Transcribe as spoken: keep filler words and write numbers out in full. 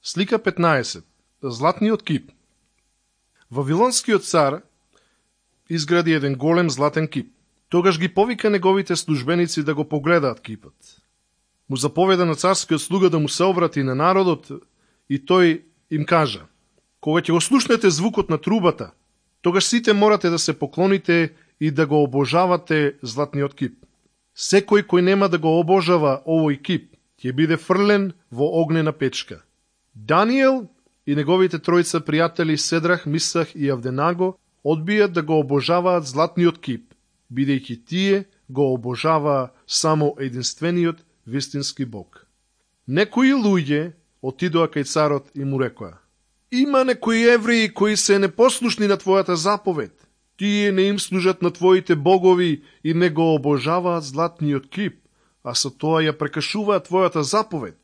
Слика петнаесет. Златниот кип. Вавилонскиот цар изгради еден голем златен кип. Тогаш ги повика неговите службеници да го погледаат кипот. Му заповеда на царскиот слуга да му се обрати на народот и тој им кажа: кога ќе го слушнете звукот на трубата, тогаш сите морате да се поклоните и да го обожавате златниот кип. Секој кој нема да го обожава овој кип, ќе биде фрлен во огнена печка. Даниел и неговите тројца пријатели Седрах, Мисах и Авденаго одбијат да го обожаваат златниот кип, бидејќи тие го обожаваа само единствениот вистински Бог. Некои луѓе отидоа кај царот и му рекоа: има некои евреи кои се непослушни на твојата заповед. Тие не им служат на твоите богови и не го обожаваат златниот кип, а со тоа ја прекашуваат твојата заповед.